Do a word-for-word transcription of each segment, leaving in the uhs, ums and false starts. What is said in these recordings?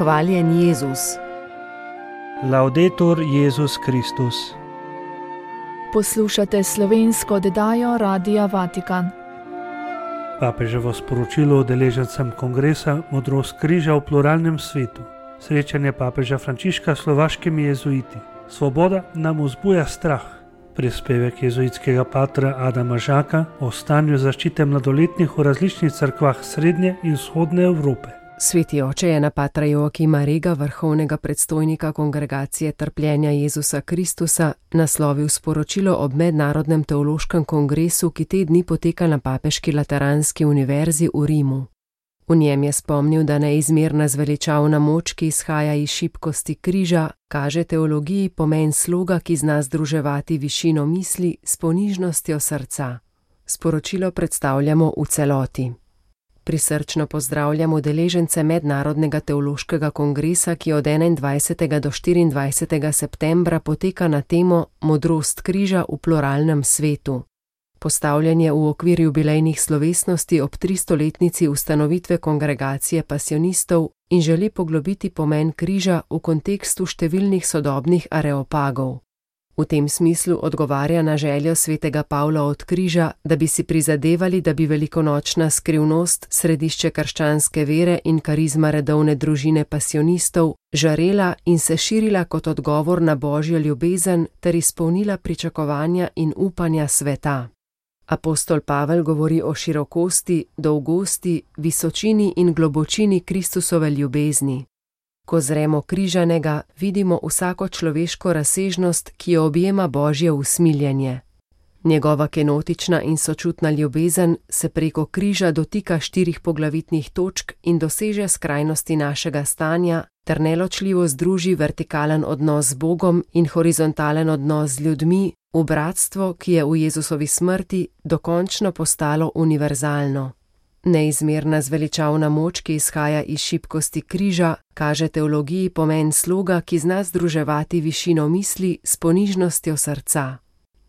Hvaljen Jezus. Laudetur Jezus Kristus. Poslušate slovensko oddajo Radia Vatikan. Papeževo sporočilo udeležencem kongresa Modrost križa v pluralnem svetu. Srečanje papeža Frančiška s slovaškimi jezuiti. Svoboda nam vzbuja strah. Prispevek jezuitskega patra Adama Žaka o stanju zaščite mladoletnih v različnih cerkvah srednje in vzhodne Evrope. Sveti oče je na patra Joakima Rega, vrhovnega predstojnika Kongregacije trpljenja Jezusa Kristusa, naslovil sporočilo ob Mednarodnem teološkem kongresu, ki te dni poteka na Papeški lateranski univerzi v Rimu. V njem je spomnil, da neizmerna zveličavna moč, ki izhaja iz šibkosti križa, kaže teologiji pomen sloga, ki zna združevati višino misli s ponižnostjo srca. Sporočilo predstavljamo v celoti. Prisrčno pozdravljam udeležence Mednarodnega teološkega kongresa, ki od enaindvajsetega do štiriindvajsetega septembra poteka na temo Modrost križa v pluralnem svetu. Postavljanje v okvir jubilejnih slovesnosti ob tristoletnici ustanovitve kongregacije pasionistov in želi poglobiti pomen križa v kontekstu številnih sodobnih areopagov. V tem smislu odgovarja na željo svetega Pavla od križa, da bi si prizadevali, da bi velikonočna skrivnost, središče krščanske vere in karizma redovne družine pasionistov žarela in se širila kot odgovor na Božjo ljubezen ter izpolnila pričakovanja in upanja sveta. Apostol Pavel govori o širokosti, dolgosti, visočini in globočini Kristusove ljubezni. Ko zremo križanega, vidimo vsako človeško razsežnost, ki jo objema Božje usmiljenje. Njegova kenotična in sočutna ljubezen se preko križa dotika štirih poglavitnih točk in doseže skrajnosti našega stanja, ter neločljivo združi vertikalen odnos z Bogom in horizontalen odnos z ljudmi v bratstvo, ki je v Jezusovi smrti dokončno postalo univerzalno. Neizmerna zveličavna moč, ki izhaja iz šibkosti križa, kaže teologiji pomen sloga, ki zna združevati višino misli s ponižnostjo srca.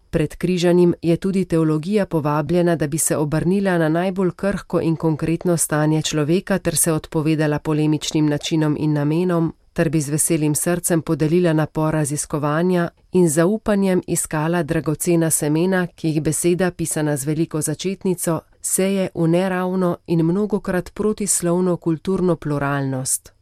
Pred križanjem je tudi teologija povabljena, da bi se obrnila na najbolj krhko in konkretno stanje človeka ter se odpovedala polemičnim načinom in namenom, ter bi z veselim srcem podelila napor raziskovanja in z zaupanjem iskala dragocena semena, ki jih beseda, pisana z veliko začetnico, seje v neravno in mnogokrat protislovno kulturno pluralnost.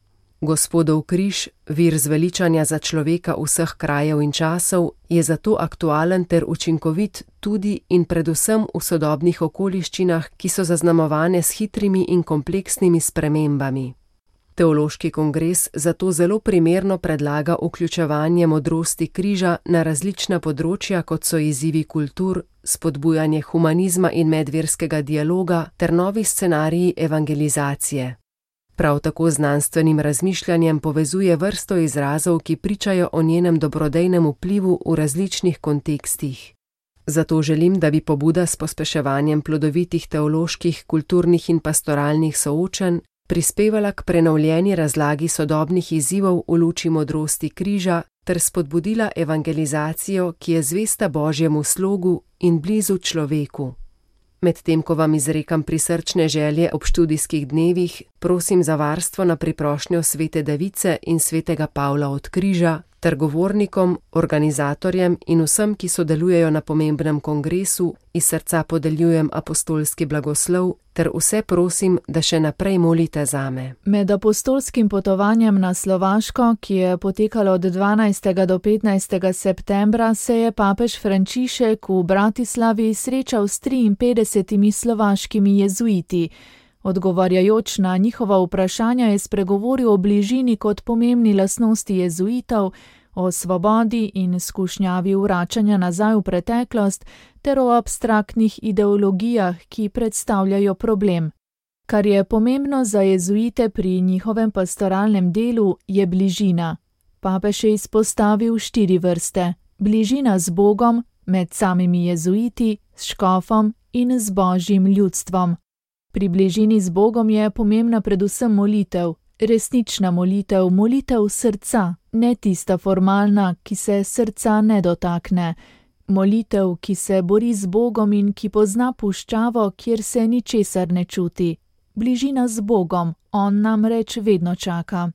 Gospodov križ, vir zveličanja za človeka vseh krajev in časov, je zato aktualen ter učinkovit tudi in predvsem v sodobnih okoliščinah, ki so zaznamovane s hitrimi in kompleksnimi spremembami. Teološki kongres zato zelo primerno predlaga vključevanje modrosti križa na različna področja, kot so izzivi kultur, spodbujanje humanizma in medverskega dialoga ter novi scenariji evangelizacije. Prav tako z znanstvenim razmišljanjem povezuje vrsto izrazov, ki pričajo o njenem dobrodejnem vplivu v različnih kontekstih. Zato želim, da bi pobuda s pospeševanjem plodovitih teoloških, kulturnih in pastoralnih soočenj prispevala k prenovljeni razlagi sodobnih izzivov v luči modrosti križa ter spodbudila evangelizacijo, ki je zvesta Božjemu slogu in blizu človeku. Medtem ko vam izrekam prisrčne želje ob študijskih dnevih, prosim za varstvo na priprošnjo svete Device in svetega Pavla od križa, ter govornikom, organizatorjem in vsem, ki sodelujejo na pomembnem kongresu, iz srca podeljujem apostolski blagoslov, ter vse prosim, da še naprej molite zame. Med apostolskim potovanjem na Slovaško, ki je potekalo od dvanajstega do petnajstega septembra, se je papež Frančišek v Bratislavi srečal s triinpetdesetimi slovaškimi jezuiti. Odgovarjajoč na njihova vprašanja je spregovoril o bližini kot pomembni lastnosti jezuitov, o svobodi in skušnjavi vračanja nazaj v preteklost ter o abstraktnih ideologijah, ki predstavljajo problem. Kar je pomembno za jezuite pri njihovem pastoralnem delu, je bližina. Papež je izpostavil štiri vrste: bližina z Bogom, med samimi jezuiti, s škofom in z Božjim ljudstvom. Pri bližini z Bogom je pomembna predvsem molitev, resnična molitev, molitev srca, ne tista formalna, ki se srca ne dotakne. Molitev, ki se bori z Bogom in ki pozna puščavo, kjer se ničesar ne čuti. Bližina z Bogom, on namreč vedno čaka.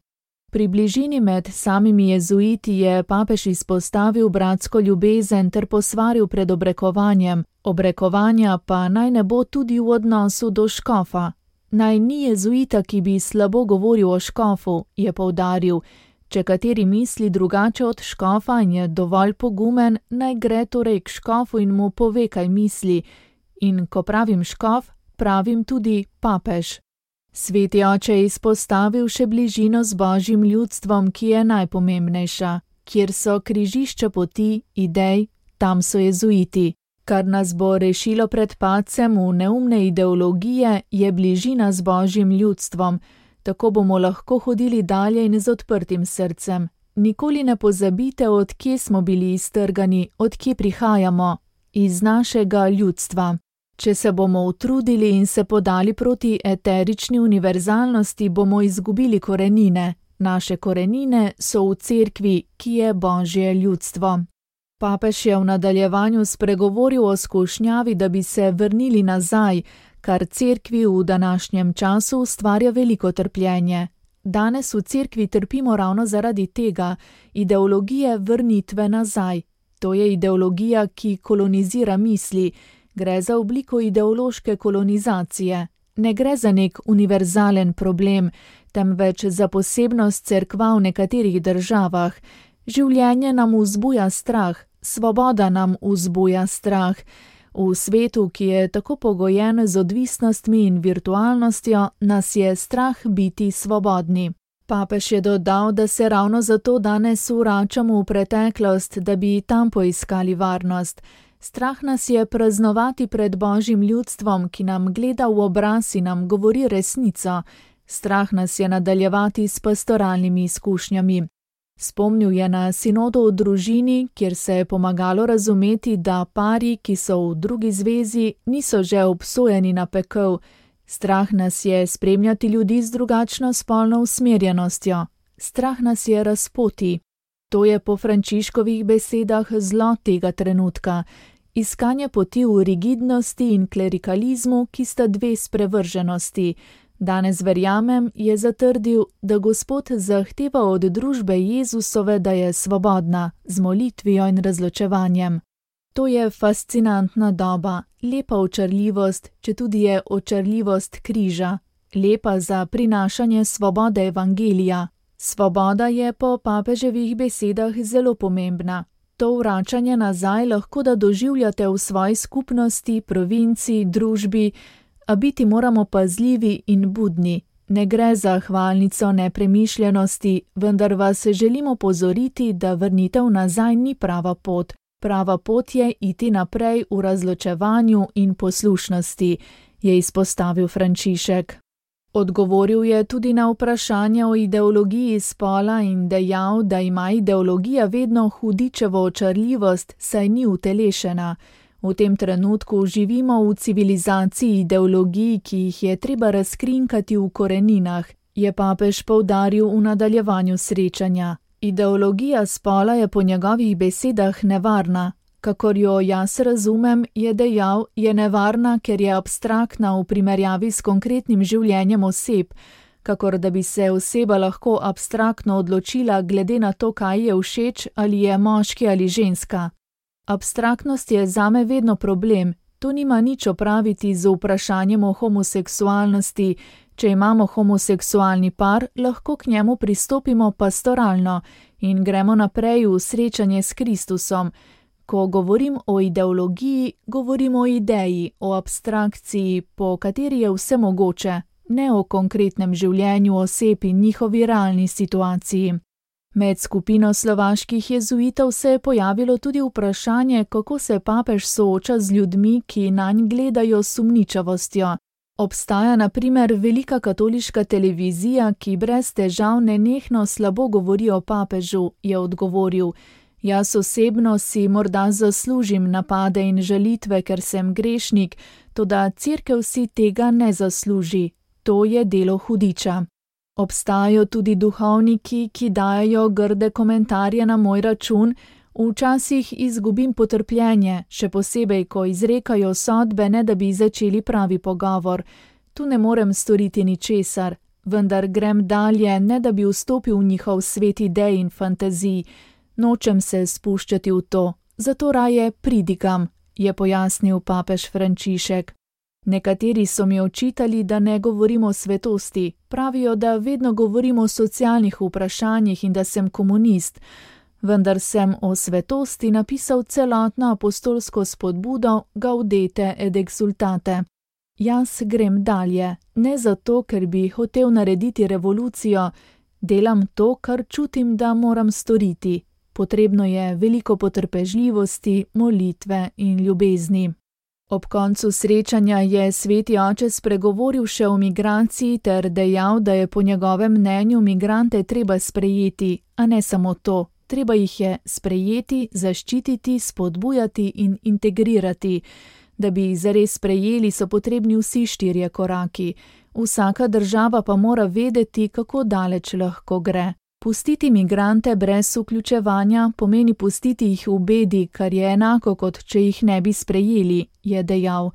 Pri bližini med samimi jezuiti je papež izpostavil bratsko ljubezen ter posvaril pred obrekovanjem, obrekovanja pa naj ne bo tudi v odnosu do škofa. Naj ni jezuita, ki bi slabo govoril o škofu, je poudaril. Če kateri misli drugače od škofa in je dovolj pogumen, naj gre torej k škofu in mu pove, kaj misli. In ko pravim škof, pravim tudi papež. Sveti oče je izpostavil še bližino z Božjim ljudstvom, ki je najpomembnejša. Kjer so križišča poti, idej, tam so jezuiti. Kar nas bo rešilo pred padcem v neumne ideologije, je bližina z Božjim ljudstvom. Tako bomo lahko hodili dalje in z odprtim srcem. Nikoli ne pozabite, od kje smo bili iztrgani, od kje prihajamo. Iz našega ljudstva. Če se bomo utrudili in se podali proti eterični univerzalnosti, bomo izgubili korenine. Naše korenine so v cerkvi, ki je Božje ljudstvo. Papež je v nadaljevanju spregovoril o skušnjavi, da bi se vrnili nazaj, kar cerkvi v današnjem času ustvarja veliko trpljenje. Danes v cerkvi trpimo ravno zaradi tega, ideologije vrnitve nazaj. To je ideologija, ki kolonizira misli. Gre za obliko ideološke kolonizacije. Ne gre za nek univerzalen problem, temveč za posebnost cerkva v nekaterih državah. Življenje nam vzbuja strah, svoboda nam vzbuja strah. V svetu, ki je tako pogojen z odvisnostmi in virtualnostjo, nas je strah biti svobodni. Papež je dodal, da se ravno zato danes vračamo v preteklost, da bi tam poiskali varnost. Strah nas je praznovati pred Božjim ljudstvom, ki nam gleda v obraz in nam govori resnico. Strah nas je nadaljevati s pastoralnimi izkušnjami. Spomnil je na sinodo v družini, kjer se je pomagalo razumeti, da pari, ki so v drugi zvezi, niso že obsojeni na pekel. Strah nas je spremljati ljudi z drugačno spolno usmerjenostjo. Strah nas je razpoti. To je po Frančiškovih besedah zlo tega trenutka. Iskanje poti v rigidnosti in klerikalizmu, ki sta dve sprevrženosti. Danes verjamem, je zatrdil, da Gospod zahteva od družbe Jezusove, da je svobodna, z molitvijo in razločevanjem. To je fascinantna doba, lepa očarljivost, četudi je očarljivost križa, lepa za prinašanje svobode evangelija. Svoboda je po papeževih besedah zelo pomembna. To vračanje nazaj lahko da doživljate v svoji skupnosti, provinci, družbi, a biti moramo pazljivi in budni. Ne gre za hvalnico nepremišljenosti, vendar vas želimo pozoriti, da vrnitev nazaj ni prava pot. Prava pot je iti naprej v razločevanju in poslušnosti, je izpostavil Frančišek. Odgovoril je tudi na vprašanje o ideologiji spola in dejal, da ima ideologija vedno hudičevo očarljivost, saj ni utelešena. V tem trenutku živimo v civilizaciji ideologij, ki jih je treba razkrinkati v koreninah, je papež poudaril v nadaljevanju srečanja. Ideologija spola je po njegovih besedah nevarna. Kakor jo jaz razumem, je dejal, je nevarna, ker je abstraktna v primerjavi s konkretnim življenjem oseb, kakor da bi se oseba lahko abstraktno odločila glede na to, kaj je všeč, ali je moški ali ženska. Abstraktnost je zame vedno problem. To nima nič opraviti z vprašanjem o homoseksualnosti. Če imamo homoseksualni par, lahko k njemu pristopimo pastoralno in gremo naprej v srečanje s Kristusom. Ko govorim o ideologiji, govorim o ideji, o abstrakciji, po kateri je vse mogoče, ne o konkretnem življenju oseb in njihovi realni situaciji. Med skupino slovaških jezuitov se je pojavilo tudi vprašanje, kako se papež sooča z ljudmi, ki nanj gledajo s sumničavostjo. Obstaja na primer velika katoliška televizija, ki brez težav nenehno slabo govori o papežu, je odgovoril. Jaz osebno si morda zaslužim napade in žalitve, ker sem grešnik, toda cerkev si tega ne zasluži. To je delo hudiča. Obstajajo tudi duhovniki, ki dajajo grde komentarje na moj račun, včasih izgubim potrpljenje, še posebej, ko izrekajo sodbe, ne da bi začeli pravi pogovor. Tu ne morem storiti ničesar. vendar grem dalje, ne da bi vstopil v njihov svet idej in fantazij. Nočem se spuščati v to, zato raje pridigam, je pojasnil papež Frančišek. Nekateri so mi očitali, da ne govorim o svetosti. Pravijo, da vedno govorim o socialnih vprašanjih in da sem komunist. Vendar sem o svetosti napisal celotno apostolsko spodbudo Gaudete et exsultate. Jaz grem dalje, ne zato, ker bi hotel narediti revolucijo. Delam to, kar čutim, da moram storiti. Potrebno je veliko potrpežljivosti, molitve in ljubezni. Ob koncu srečanja je sveti oče spregovoril še o migraciji ter dejal, da je po njegovem mnenju migrante treba sprejeti, a ne samo to. Treba jih je sprejeti, zaščititi, spodbujati in integrirati. Da bi jih zares sprejeli, so potrebni vsi štirje koraki. Vsaka država pa mora vedeti, kako daleč lahko gre. Pustiti migrante brez vključevanja pomeni pustiti jih v bedi, kar je enako, kot če jih ne bi sprejeli, je dejal.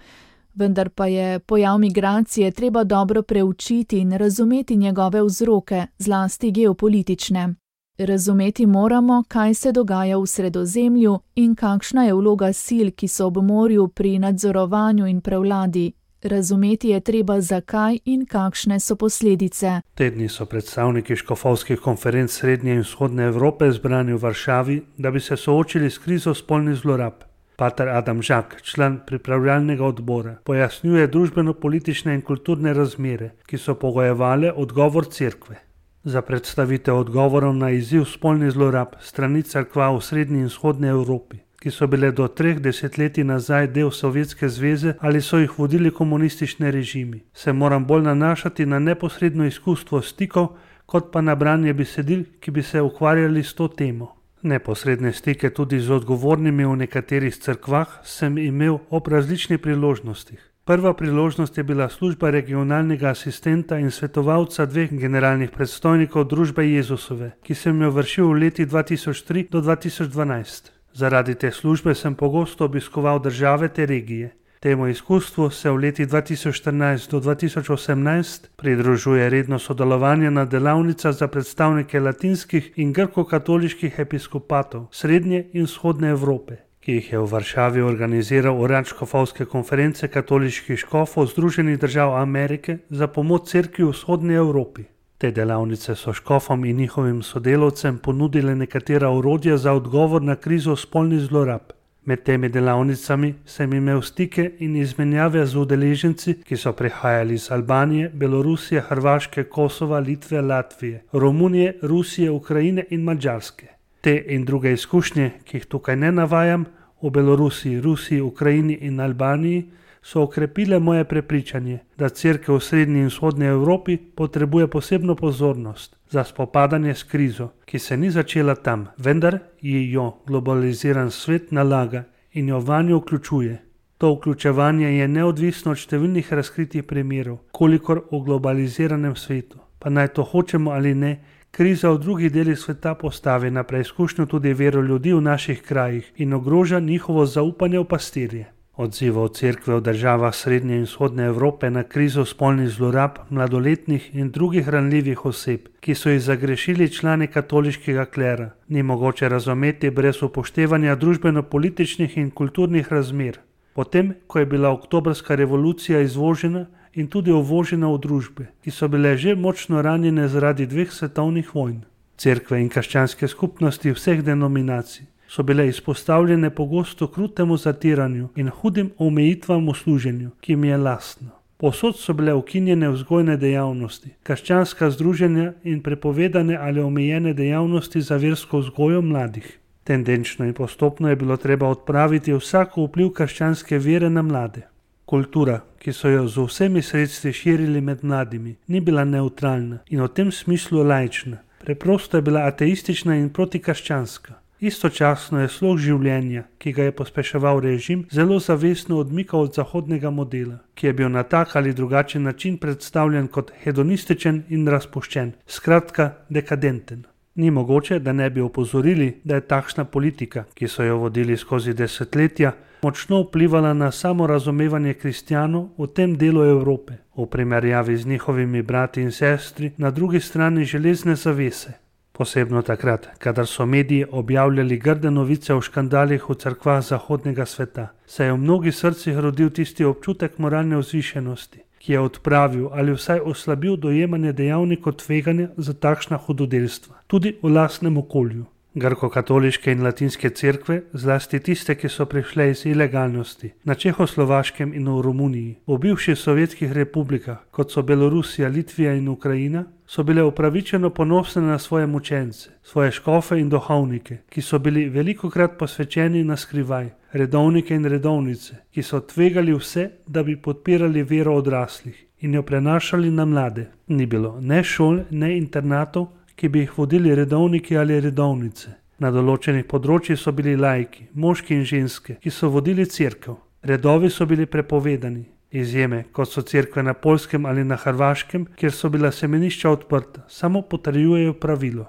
Vendar pa je pojav migracije treba dobro preučiti in razumeti njegove vzroke, zlasti geopolitične. Razumeti moramo, kaj se dogaja v Sredozemlju in kakšna je vloga sil, ki so ob morju pri nadzorovanju in prevladi. Razumeti je treba, zakaj in kakšne so posledice. Te dni so predstavniki škofovskih konferenc Srednje in Vzhodne Evrope zbrani v Varšavi, da bi se soočili s krizo spolnih zlorab. Pater Adam Žak, član pripravljalnega odbora, pojasnjuje družbeno-politične in kulturne razmere, ki so pogojevale odgovor cerkve. Za predstavitev odgovorov na izziv spolnih zlorab strani cerkva v Srednji in Vzhodni Evropi, ki so bile do treh desetletij nazaj del Sovjetske zveze ali so jih vodili komunistični režimi, se moram bolj nanašati na neposredno izkustvo stikov, kot pa na branje besedil, ki bi se ukvarjali s to temo. Neposredne stike tudi z odgovornimi v nekaterih cerkvah sem imel ob različnih priložnostih. Prva priložnost je bila služba regionalnega asistenta in svetovalca dveh generalnih predstojnikov družbe Jezusove, ki sem jo vršil v letih dva tisoč tri do dva tisoč dvanajst. Zaradi te službe sem pogosto obiskoval države te regije. Temu izkustvu se v letih dva tisoč štirinajst do dva tisoč osemnajst pridružuje redno sodelovanje na delavnicah za predstavnike latinskih in grko-katoliških episkopatov Srednje in Vzhodne Evrope, ki jih je v Varšavi organiziral urad škofovske konference katoliških škofov Združenih držav Amerike za pomoč cerkvi v Vzhodni Evropi. Te delavnice so škofom in njihovim sodelavcem ponudile nekatera orodja za odgovor na krizo spolnih zlorab. Med temi delavnicami sem imel stike in izmenjave z udeleženci, ki so prihajali iz Albanije, Belorusije, Hrvaške, Kosova, Litve, Latvije, Romunije, Rusije, Ukrajine in Madžarske. Te in druge izkušnje, ki jih tukaj ne navajam, v Belorusiji, Rusiji, Ukrajini in Albaniji, so okrepile moje prepričanje, da cerkev v Srednji in Vzhodni Evropi potrebuje posebno pozornost za spopadanje s krizo, ki se ni začela tam, vendar ji jo globaliziran svet nalaga in jo vanjo vključuje. To vključevanje je neodvisno od številnih razkritih primerov, kolikor v globaliziranem svetu. Pa naj to hočemo ali ne, kriza v drugih delih sveta postavi na preizkušnjo tudi vero ljudi v naših krajih in ogroža njihovo zaupanje v pastirje. Odzivov cerkve v državah Srednje in Vzhodne Evrope na krizo spolnih zlorab mladoletnih in drugih ranljivih oseb, ki so jih zagrešili člani katoliškega klera, ni mogoče razumeti brez upoštevanja družbeno-političnih in kulturnih razmer. Potem, ko je bila oktobrska revolucija izvožena in tudi uvožena v družbe, ki so bile že močno ranjene zaradi dveh svetovnih vojn. Cerkve in krščanske skupnosti vseh denominacij so bile izpostavljene pogosto krutemu zatiranju in hudim omejitvam v služenju, ki jim je lastno. Povsod so bile ukinjene vzgojne dejavnosti, krščanska združenja in prepovedane ali omejene dejavnosti za versko vzgojo mladih. Tendenčno in postopno je bilo treba odpraviti vsako vpliv krščanske vere na mlade. Kultura, ki so jo z vsemi sredstvi širili med mladimi, ni bila nevtralna in v tem smislu laična. Preprosto je bila ateistična in protikrščanska. Istočasno je slog življenja, ki ga je pospeševal režim, zelo zavestno odmikal od zahodnega modela, ki je bil na tak ali drugačen način predstavljen kot hedonističen in razpuščen, skratka dekadenten. Ni mogoče, da ne bi opozorili, da je takšna politika, ki so jo vodili skozi desetletja, močno vplivala na samorazumevanje kristjanov v tem delu Evrope, v primerjavi z njihovimi brati in sestri na drugi strani železne zavese. Posebno takrat, kadar so mediji objavljali grde novice o škandalih v cerkvah zahodnega sveta, se je v mnogih srcih rodil tisti občutek moralne vzvišenosti, ki je odpravil ali vsaj oslabil dojemanje dejavnikov tveganja za takšna hudodelstva, tudi v lastnem okolju. Grko-katoliške in latinske cerkve, zlasti tiste, ki so prišle iz ilegalnosti, na Čehoslovaškem in v Romuniji, v bivših sovjetskih republikah, kot so Belorusija, Litvija in Ukrajina, so bile upravičeno ponosne na svoje mučence, svoje škofe in duhovnike, ki so bili velikokrat posvečeni na skrivaj, redovnike in redovnice, ki so tvegali vse, da bi podpirali vero odraslih in jo prenašali na mlade. Ni bilo ne šol, ne internatov, ki bi jih vodili redovniki ali redovnice. Na določenih področjih so bili laiki, moški in ženske, ki so vodili cerkev. Redovi so bili prepovedani. Izjeme, kot so cerkve na Poljskem ali na Hrvaškem, kjer so bila semenišča odprta, samo potrjujejo pravilo.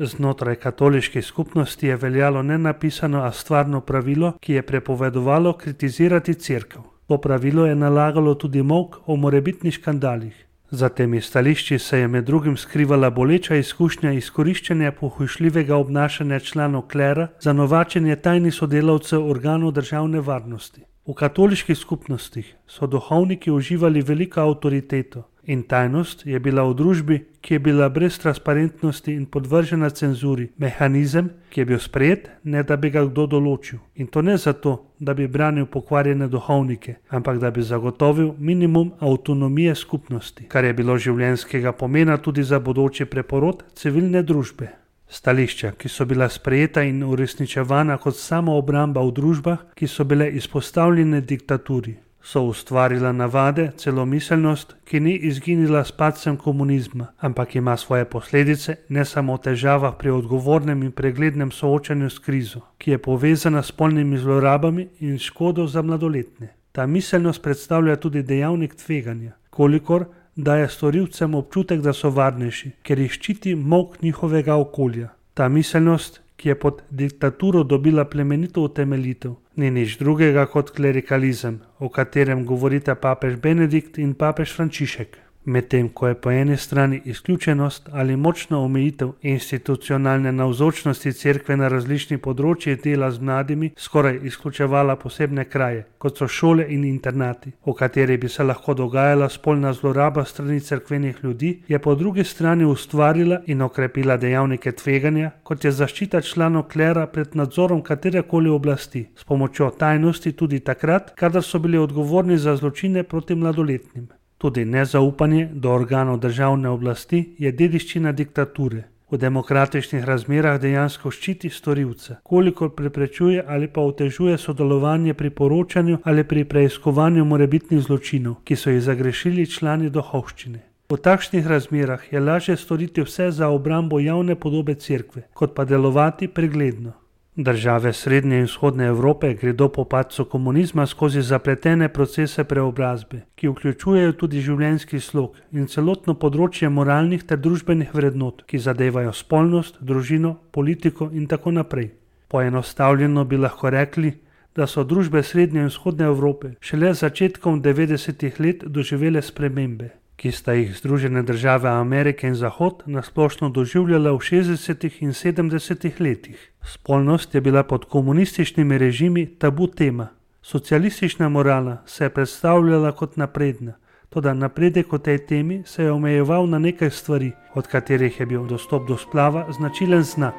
Znotraj katoliške skupnosti je veljalo nenapisano, a stvarno pravilo, ki je prepovedovalo kritizirati cerkev. To pravilo je nalagalo tudi molk o morebitnih škandalih. Za temi stališči se je med drugim skrivala boleča izkušnja izkoriščanja pohujšljivega obnašanja članov klera za novačenje tajnih sodelavcev organov državne varnosti. V katoliških skupnostih so duhovniki uživali veliko avtoriteto in tajnost je bila v družbi, ki je bila brez transparentnosti in podvržena cenzuri, mehanizem, ki je bil sprejet, ne da bi ga kdo določil. In to ne zato, da bi branil pokvarjene duhovnike, ampak da bi zagotovil minimum avtonomije skupnosti, kar je bilo življenjskega pomena tudi za bodoči preporod civilne družbe. Stališča, ki so bila sprejeta in uresničevana kot samoobramba v družbah, ki so bile izpostavljene diktaturi, so ustvarila navade, celo miselnost, ki ni izginila s padcem komunizma, ampak ima svoje posledice ne samo v težavah pri odgovornem in preglednem soočanju s krizo, ki je povezana s spolnimi zlorabami in škodo za mladoletne. Ta miselnost predstavlja tudi dejavnik tveganja, kolikor daje storilcem občutek, da so varnejši, ker jih ščiti molk njihovega okolja. Ta miselnost, ki je pod diktaturo dobila plemenito utemeljitev, ni nič drugega kot klerikalizem, o katerem govorita papež Benedikt in papež Frančišek. Medtem ko je po eni strani izključenost ali močna omejitev institucionalne navzočnosti cerkve na različnih področjih dela z mladimi skoraj izključevala posebne kraje, kot so šole in internati, v kateri bi se lahko dogajala spolna zloraba strani cerkvenih ljudi, je po drugi strani ustvarila in okrepila dejavnike tveganja, kot je zaščita članov klera pred nadzorom katerekoli oblasti, s pomočjo tajnosti tudi takrat, kadar so bili odgovorni za zločine proti mladoletnim. Tudi nezaupanje do organov državne oblasti je dediščina diktature. V demokratičnih razmerah dejansko ščiti storilca, kolikor preprečuje ali pa otežuje sodelovanje pri poročanju ali pri preiskovanju morebitnih zločinov, ki so jih zagrešili člani duhovščine. V takšnih razmerah je lažje storiti vse za obrambo javne podobe cerkve, kot pa delovati pregledno. Države srednje in vzhodne Evrope gredo po padcu komunizma skozi zapletene procese preobrazbe, ki vključujejo tudi življenjski slog in celotno področje moralnih ter družbenih vrednot, ki zadevajo spolnost, družino, politiko in tako naprej. Poenostavljeno bi lahko rekli, da so družbe srednje in vzhodne Evrope šele začetkom devetdesetih let doživele spremembe, ki sta jih Združene države Amerike in Zahod nasplošno doživljala v šestdesetih in sedemdesetih letih. Spolnost je bila pod komunističnimi režimi tabu tema. Socialistična morala se je predstavljala kot napredna, toda napredek v tej temi se je omejeval na nekaj stvari, od katerih je bil dostop do splava značilen znak.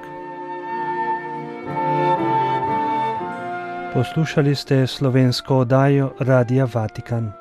Poslušali ste slovensko oddajo Radia Vatikan.